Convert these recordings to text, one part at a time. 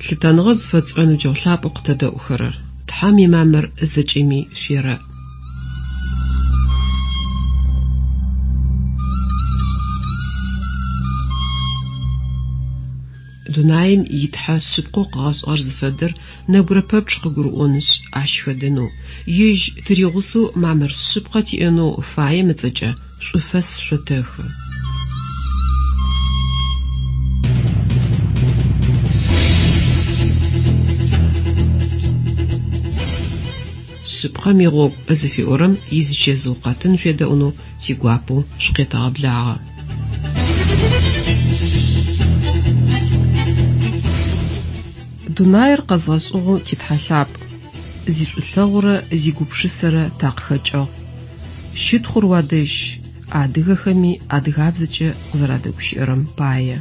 Лъытэныгъэ зыфэтшӏырэ ныбджэгъу лъапӏэу къытэдэӏухэрэр, Тхьэм имамыр зэкӏэми шъуерэӏ. Дунаим и Тхьэ шъыпкъэу къыгъэшӏыгъэр зыфэдэр нэбгырэ пэпчъ къыгурыӏонышъ, ащ хэдэнэу, ежь тыригъусэу мамыр шъыпкъэ тиӏэнэу фаем ыцӏэкӏэ шӏуфэс шъотэхы. Шъыпкъэм игъогу зыфиӏорэм изычэзыу къэтын шъуедэӏунэу тигуапэу шъукъетэгъэблагъэ. Дунаир къэзгъэшӏыгъэу ти Тхьэ лъапӏ, зишӏулъэгъурэ зигупшысэрэ такъыхэкӏыгъ. Щытхъур уадэжь, адыгэхэми адыгабзэкӏэ укъызэрадэгущыӏэрэм пае.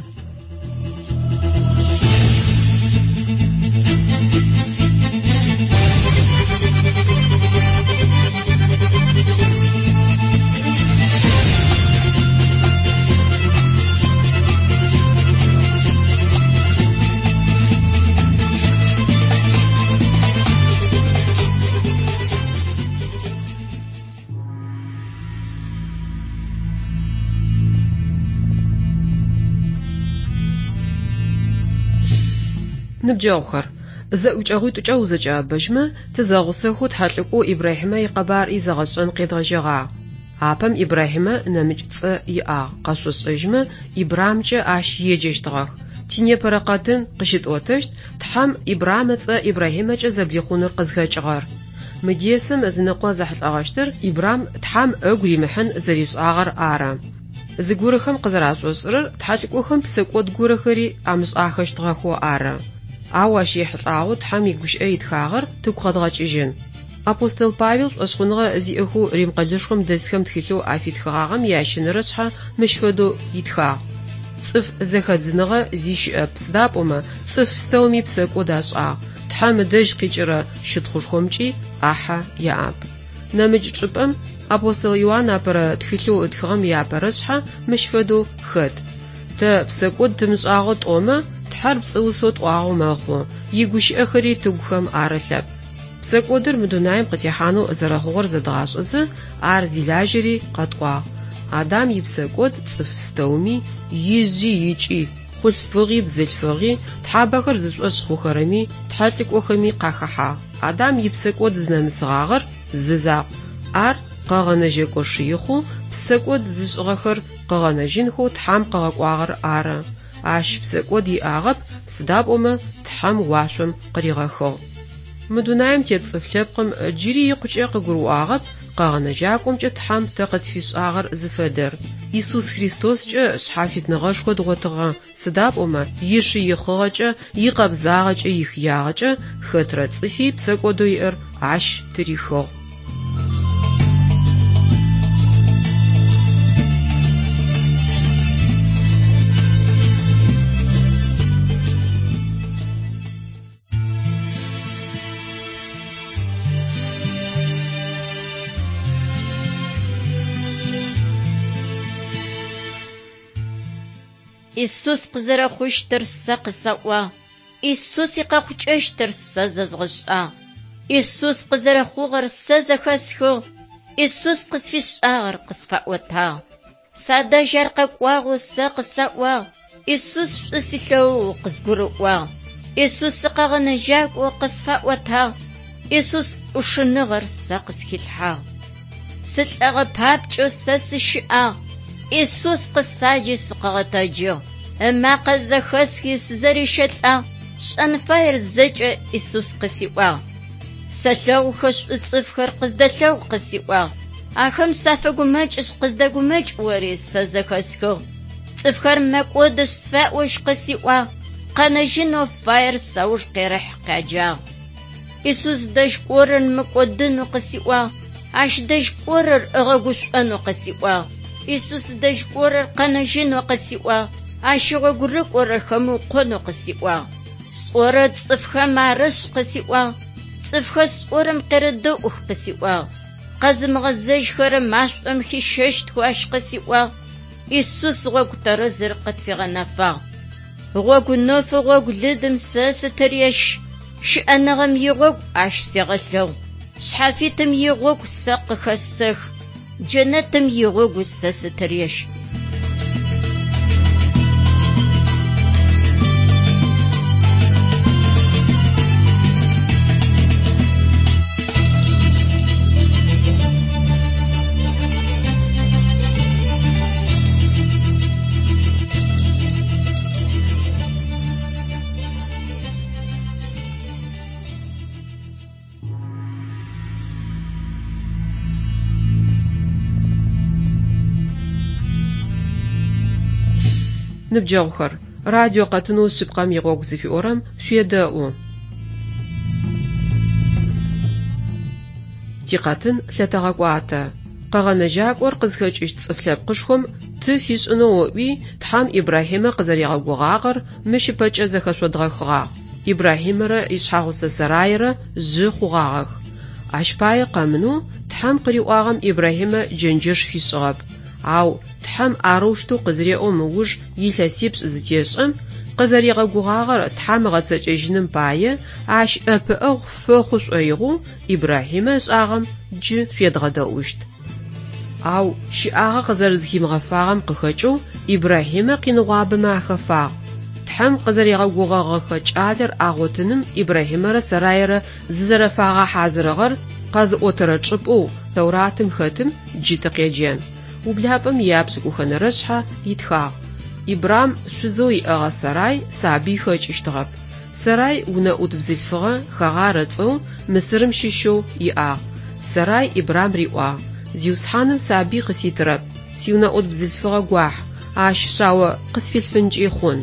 Ныбджэгъухэр, зэӏукӏэгъуитӏукӏэ узэкӏэӏэбэжьмэ, тызэгъусэхэу тхьэлӏыкӏоу Ибрахьимэ икъэбар изэгъэшӏэн къедгъэжьэгъагъ. Апэм Ибрахьимэ нэмыкӏ цӏэ иӏагъ, къэшъошӏэжьмэ, Ибрамкӏэ ащ еджэщтыгъэх. Тинепэрэ къэтын къыщытӏотэщт Тхьэм Ибрам ыцӏэ Ибрахьимэкӏэ зэблихъуныр къызхэкӏыгъэр. Мы десэм ызыныкъо зэхьылӏэгъэщтыр Ибрам Тхьэм ыгу римыхьын зэришӏагъэр ары. Зыгорэхэм къызэрашӏошӏырэр тхьэлӏыкӏохэм псэкӏод горэхэри амышӏахэщтыгъэхэу ары. Ау ащ ехьылӏагъэу Тхьэм игущыӏэ итхагъэр тыгу къэдгъэкӏыжьын. Апостол Павел шӏошъхъуныгъэ зиӏэхэу Рим къэлэшхом дэсхэм тхылъэу афитхыгъагъэм ящэнэрэ шъхьэ мыщ фэдэу итхагъ. Цӏыф зэхэдзыныгъэ зи щыӏэп, сыда пӏомэ цӏыф пстэуми псэкӏод ашӏагъ, Тхьэм ыдэжь къикӏырэ щытхъушхомкӏи ӏахьэ яӏэп. Нэмыкӏ чӏыпӏэм апостол Иуан апэрэ тхылъэу ытхыгъэм иапэрэ шъхьэ мыщ фэдэу хэт. Тэ псэкӏод тымышӏагъэу тӏомэ, Тхьэр пцӏыусэу тӏуагъэу мэхъу, игущыӏэхэри тыгухэм арылъэп. Псэкӏодыр мы дунаим къытехьанэу зэрэхъугъэр зэдгъашӏэзэ, ар зилажьэри къэтӏуагъ. Адам ипсэкӏод цӏыф пстэуми, ижъи икӏи, хъулъфыгъи бзылъфыгъи, тхьабэхэр зышӏошъ хъухэрэми, тхьэлӏыкӏохэми къахэхьагъ. Адам ипсэкӏод зынэмысыгъагъэр зы закъу. Ар къэгъэнэжьэкӏо шыихъэу псэкӏод зышӏыгъэхэр къыгъэнэжьынхэу Тхьэм къыгъэкӏуагъэр ары. Ащ псэкӏод иӏагъэп, сыда пӏомэ Тхьэм уашъом къыригъэхыгъ. Мы дунаим тет цӏыф лъэпкъым джыри икъукӏэ къыгурыӏуагъэп къэгъэнэжьакӏомкӏэ Тхьэм тэ къытфишӏагъэр зыфэдэр. Исус Христоскӏэ шъхьафитныгъэшхо дгъотыгъэ, сыда пӏомэ ишыихъыгъэкӏэ, икъэбзагъэкӏэ, ихыягъэкӏэ хэтрэ цӏыфи псэкӏодэу иӏэр ащ тырихыгъ. Исус къызэрэхъущтыр сэ къысэӏуагъ. Исус икъэхъукӏэщтыр сэ зэзгъэшӏагъ. Исус къызэрэхъугъэр сэ зэхэсхыгъ. Исус къысфишӏагъэр къысфаӏотагъ. Садэжь ар къэкӏуагъэу сэ къысаӏуагъ. Исус шӏу силъэгъоу къызгурыӏуагъ. Исус сыкъэгъэнэжьакӏоу къысфаӏотагъ. Исус ӏушыныгъэр сэ къысхилъхьагъ. Сылӏэгъэ папкӏэу сэ сыщыӏагъ. Исус къысаджи сыкъыгъэтэджыгъ. Ымакъэ зэхэсхи сызэрищэлӏагъ. Сшӏэн фаер зэкӏэ Исус къысиӏуагъ. Сэлъэгъухэ шӏу цӏыфхэр къыздэлъэгъу къысиӏуагъ. Ахэм сафэгумэкӏышъ къыздэгумэкӏ ори сэ зэхэсхыгъ. Цӏыфхэр мэкӏодышъ сфаӏожь къысиӏуагъ. Къэнэжьынэу фаер сауж къерэхь къяджагъ. Исус дэжь кӏорэр мыкӏодынэу къысиӏуагъ. Ащ дэжь кӏорэр ыгъэгушӏонэу къысиӏуагъ. Исус дэжь кӏорэр къэнэжьынэу къысиӏуагъ. Ащ игъогу рыкӏорэр хэмыукъонэу къысиӏуагъ. Сӏорэр цӏыфхэм арэшӏ къысиӏуагъ. Цӏыфхэр сӏорэм къерэдэӏух къысиӏуагъ. Къэзымыгъэзэжьхэрэ машӏом хищэщтхэу ащ къысиӏуагъ. Исус гъогу тэрэзыр къытфигъэнэфагъ. Гъогу нэфы гъогу лыдым сэ сытырещ. Щыӏэныгъэм игъогу ащ сегъэлъэгъу. Шъхьафитым игъогу сэ къыхэсэх. Джэнэтым игъогу сэ сытырещ. Ныбджэгъухэр, радио къэтынэу Шъыпкъэм игъогу зыфиӏорэм шъуедэӏу. Тикъэтын лъэтэгъэкӏуатэ. Къэгъэнэжьакӏор къызхэкӏыщт цӏыф лъэпкъышхом ты фишӏынэу ыӏуи, Тхьэм Ибрахьимэ къызэригъэгугъагъэр мыщ ыпэкӏэ зэхэшъодгъэхыгъагъ. Ибрахьимэрэ ишъхьэгъусэ Сарайрэ жъы хъугъагъэх. Ащ пае къэмынэу Тхьэм къыриӏуагъэм Ибрахьимэ джэнджэш фишӏыгъэп. Ау Тхьэм арэущтэу къызыреӏом ыуж илъэсипшӏ зытешӏэм, къызэригъэгугъагъэр Тхьэм ыгъэцэкӏэжьыным пае ащ ӏэпыӏэгъу фэхъу шӏоигъоу Ибрахьимэ ышӏагъэм джы шъуедгъэдэӏущт. Ау щыӏагъэ къызэрэзыхимыгъэфагъэм къыхэкӏэу Ибрахьимэ къиныгъуабэмэ ахэфагъ. Тхьэм къызэригъэгугъэгъэхэ кӏалэр агъотыным Ибрахьимэрэ Сарайрэ зызэрэфагъэхьазырыгъэр къэзыӏотэрэ чӏыпӏэу Тэуратым хэтым джы тыкъеджэн. Ублапӏэм ияпшӏыкӏухэнэрэ шъхьэ итхагъ. Ибрам шъузэу иӏэгъэ Сарай сабый хэкӏыщтыгъэп. Сарай унэӏут бзылъфыгъэ Хэгъар ыцӏэу Мысырым щыщэу иӏагъ. Сарай Ибрам риӏуагъ: Зиусхьаным сабый къыситырэп, сиунэӏут бзылъфыгъэ гуахь, ащ шъао къысфилъфынкӏи хъун.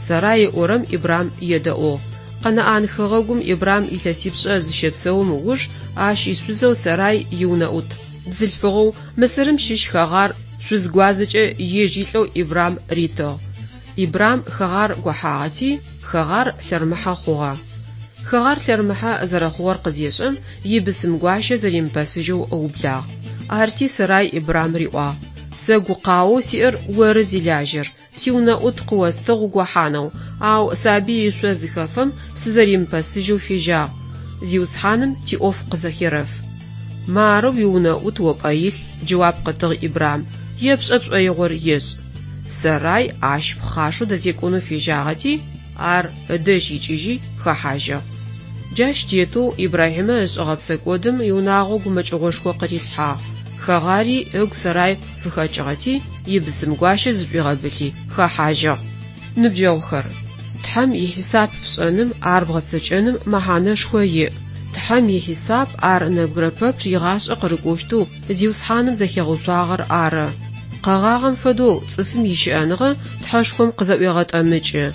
Сарай ыӏорэм Ибрам едэӏугъ. Къэнаӏан хэгъэгум Ибрам илъэсипшӏэ зыщэпсэум ыуж ащ ишъузэу Сарай иунэӏут бзылъфыгъэу Мысырым щыщ Хэгъар шъуз гуадзэкӏэ ежь илӏэу Ибрам ритыгъ. Ибрам Хэгъар гохьагъэти, Хэгъар лъэрмыхьэ хъугъэ. Хэгъар лъэрмыхьэ зэрэхъугъэр къызешӏэм, ибысым гуащэ зэримыпэсыжьэу ыублагъ. Арти Сарай Ибрам риӏуагъ: Сэ гукъаоу сиӏэр оры зилажьэр, сиунэӏут къыостыгъ угохьанэу, ау сабый ышъо зыхэфэм сызэримыпэсыжьэу фежьагъ. Зиусхьаным тиӏоф къызэхерэф. Мары уиунэӏут о пӏэ илъ, джэуап къытыгъ Ибрам, епшӏэ пшӏоигъор ешӏ. Сарай ащ пхъашэу дэзекӏонэу фежьагъэти, ар ыдэжь икӏыжьи хэхьажьыгъ. Джащ тетэу Ибрахьимэ ышӏыгъэ псэкӏодым иунагъо гумэкӏыгъошхо къырилъхьагъ. Хэгъари ыгу Сарай фыхэкӏыгъэти, ибысым гуащэ зышӏуигъэбылъи хэхьажьыгъ. Ныбджэгъухэр, Тхьэм ихьисап пшӏэным, ар бгъэцэкӏэным мэхьанэшхо иӏ. Тхьэм ихьисап ар нэбгырэ пэпчъ игъашӏэ къырыкӏощтэу Зиусхьаным зэхигъэуцуагъэр ары. Къэгъагъэм фэдэу цӏыфым ищыӏэныгъэ Тхьэшхом къызэӏуегъэтӏэмыкӏы.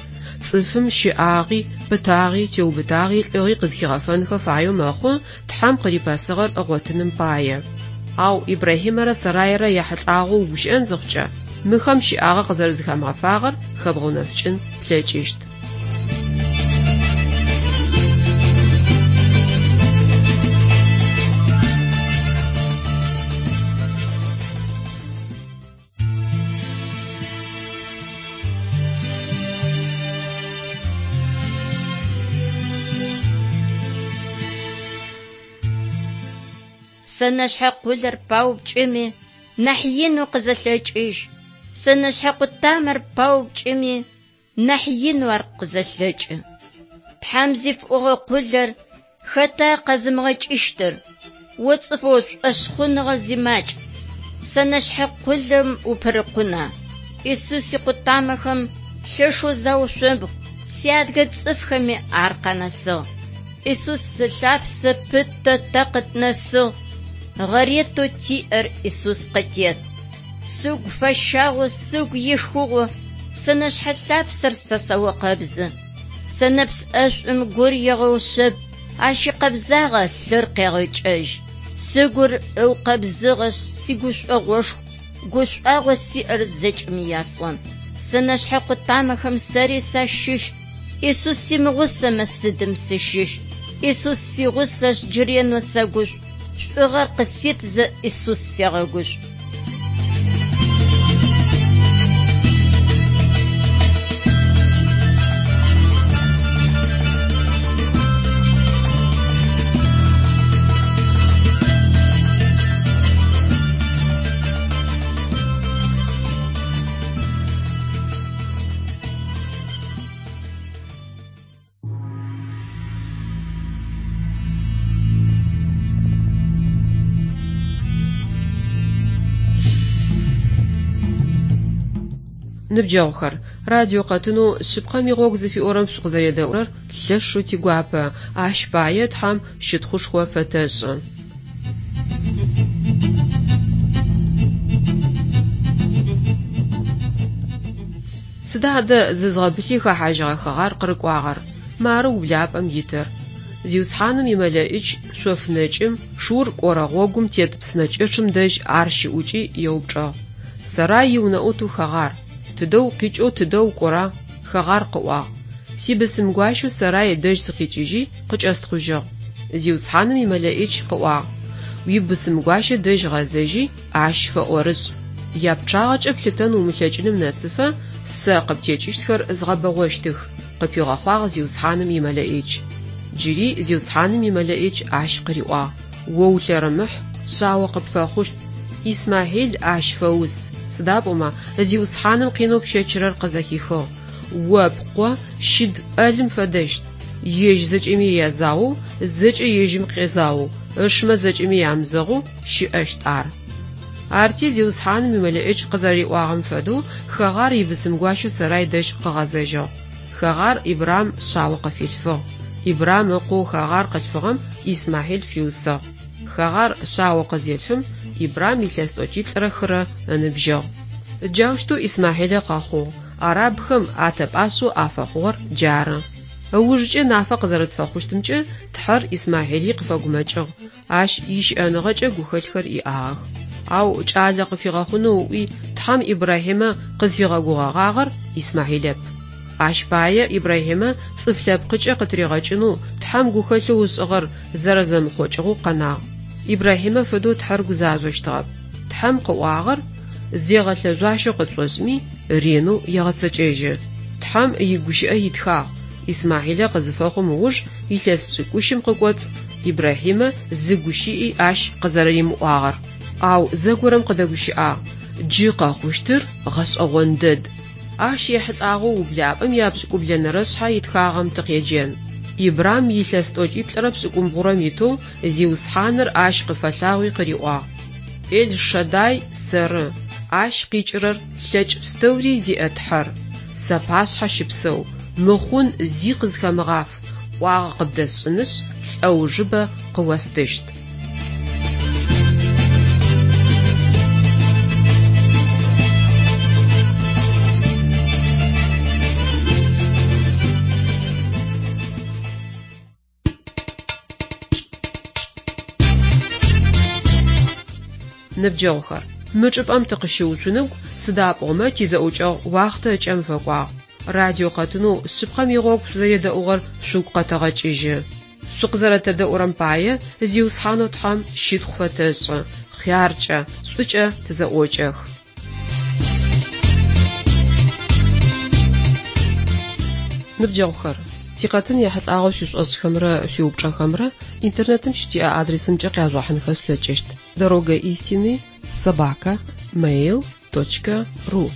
Цӏыфым щыӏагъи, пытагъи, теубытагъи, лӏыгъи къызхигъэфэнхэ фаеу мэхъу Тхьэм къырипэсыгъэр ыгъотыным пае. Ау Ибрахьимэрэ Сарайрэ яхьылӏагъэу угущыӏэн зыхъукӏэ, мыхэм щыӏагъэ къызэрэзыхамыгъэфагъэр хэбгъэунэфыкӏын плъэкӏыщт. Сэнэшъхьэ къулэр паупкӏыми, нахь инэу къызэлъэкӏыжь. Сэнэшъхьэ къутамэр паупкӏыми, нахь инэу ар къызэлъэкӏы. Тхьэм зифӏогъэ къулэр хэта къэзымыгъэкӏыщтыр? О цӏыфэу шӏошъхъуныгъэ зимакӏ, сэнэшъхьэ къулэм упырыкъуна? Исус икъутамэхэм лъэшэу заушъомбгъу, сиадыгэ цӏыфхэми ар къанэсыгъ. Исус ылъапсэ пытэ тэ къытнэсыгъ, гъэретэу тиӏэр Исус къытет. Сыгу фэщагъэу, сыгу ишхыгъэу сэнэшъхьэ лъапсэр сэ сэукъэбзы. Сэнэпс ӏэшӏум гур егъэушъэб, ащ икъэбзагъэ лъыр къегъэкӏэжь. Сыгур ыукъэбзыгъэшъ, сигушӏогъошху, гушӏуагъо сиӏэр зэкӏэми ясӏон. Сэнэшъхьэ къутамэхэм сэри сащыщ, Исус симыгъусэмэ сыдым сыщыщ? Исус сигъусэшъ, джы ренэу сэгушӏу, шӏугъэр къыситзэ Исус сегъэгушӏу. Ныбджэгъухэр, радио къэтынэу Шъыпкъэм игъогу зыфиӏорэм шъукъызэредэӏурэр лъэшэу тигуапэ, ащ пае Тхьэм щытхъушхо фэтэшӏы. Сыда адэ зызгъэбылъи хэхьажьыгъэ Хэгъар къырыкӏуагъэр? Мары ублапӏэм итыр. Зиусхьаным имэлэӏич шъоф нэкӏым, Шур кӏорэ гъогум тет псынэкӏэчъым дэжь ар щыӏукӏи еупчӏыгъ: Сэрай иунэӏутэу Хэгъар, тыдэ укъикӏэу тыдэ укӏора? Хэгъар къыӏуагъ: Сибысымгуащэу Сэрай дэжь сыкъикӏыжьи, къыкӏэстхъужьыгъ. Зиусхьаным имэлэӏич къыӏуагъ: Уибысымгуащэ дэжь гъэзэжьи, ащ фэӏорышӏ. Япчъагъэкӏэ плъытэн умылъэкӏыным нэсыфэ, сэ къыптекӏыщтхэр згъэбэгъощтых, къыпигъэхъуагъ Зиусхьаным имэлэӏич. Джыри Зиусхьаным имэлэӏич ащ къыриӏуагъ: О улъэрымыхь, шъао къыпфэхъущт. Исмахьил ащ фэус, сыда пӏомэ Зиусхьаным къинэу пщэчырэр къызэхихыгъ. О пкъо щыд ӏэлым фэдэщт, ежь зэкӏэми язаоу, зэкӏэ ежьым къезаоу, ышмэ зэкӏэми ямызэгъэу щыӏэщт ар. Арти Зиусхьаным имэлэӏич къызэриӏуагъэм фэдэу Хэгъар ибысымгуащэу Сэрай дэжь къыгъэзэжьыгъ. Хэгъар Ибрам шъао къыфилъфыгъ. Ибрам ыкъоу Хэгъар къылъфыгъэм Исмахьил фиусыгъ. Хэгъар шъао къызелъфым, Ибрам илъэс тӏокӏиплӏырэ хырэ ыныбжьыгъ. Джаущтэу Исмахьилэ къэхъугъ, арабхэм атэ пӏашъэу афэхъугъэр джары. Ыужкӏэ нафэ къызэрэтфэхъущтымкӏэ, Тхьэр Исмахьили къыфэгумэкӏыгъ, ащ ищыӏэныгъэкӏэ гухэлъхэр иӏагъэх. Ау кӏалэ къыфигъэхъунэу ыӏуи, Тхьэм Ибрахьимэ къызфигъэгугъэгъагъэр Исмахьилэп. Ащ пае Ибрахьимэ цӏыф лъэпкъыкӏэ къытыригъэкӏынэу Тхьэм гухэлъэу ышӏыгъэр зэрэзэмыхъокӏыгъэу къэнагъ. Ибрахьимэ фэдэу Тхьэр гузажъощтыгъэп. Тхьэм къыӏуагъэр зегъэлъэжъуащэу къытшӏошӏми, ренэу егъэцэкӏэжьы. Тхьэм игущыӏэ итхагъ, Исмахьилэ къызыфэхъум ыуж илъэс пшӏыкӏущым къыкӏоцӏ Ибрахьимэ зы гущыӏи ащ къызэрэримыӏуагъэр. Ау зэгорэм къыдэгущыӏагъ, джы къэхъущтыр гъэшӏэгъон дэд. Ащ ехьылӏагъэу ублапӏэм япшӏыкӏублэнэрэ шъхьэ итхагъэм тыкъеджэн. Ибрам илъэс тӏокӏиплӏырэ пшӏыкӏумбгъурэм итэу Зиусхьаныр ащ къыфэлъагъуи къыриӏуагъ: Эл-Шадай сэры, ащ къикӏырэр лъэкӏ пстэури зиӏэ Тхьэр. Сапашъхьэ щыпсэу, мыхъун зи къызхэмыгъаф, ӏуагъэ къыбдэсшӏынышъ, лӏэужыбэ къыостыщт. Ныбджэгъухэр, мы чӏыпӏэм тыкъыщыуцуныгу, сыда пӏомэ тизэӏукӏэгъу уахътэ ыкӏэм фэкӏуагъ. Радио къэтынэу Шъыпкъэм игъогу шъузэредэӏугъэр шъугу къэтэгъэкӏыжьы. Шъукъызэрэтэдэӏурэм пае Зиусхьанэу Тхьэм щытхъу фэтэшӏы, хъяркӏэ, шӏукӏэ тызэӏокӏэх. Ныбджэгъухэр, тикъэтын ехьылӏагъэу шъуишӏошӏхэмрэ шъуиупчӏэхэмрэ интернетым щытиӏэ адресымкӏэ къяжъугъэхьынхэ шъулъэкӏыщт: дорога истины собака mail точка ру.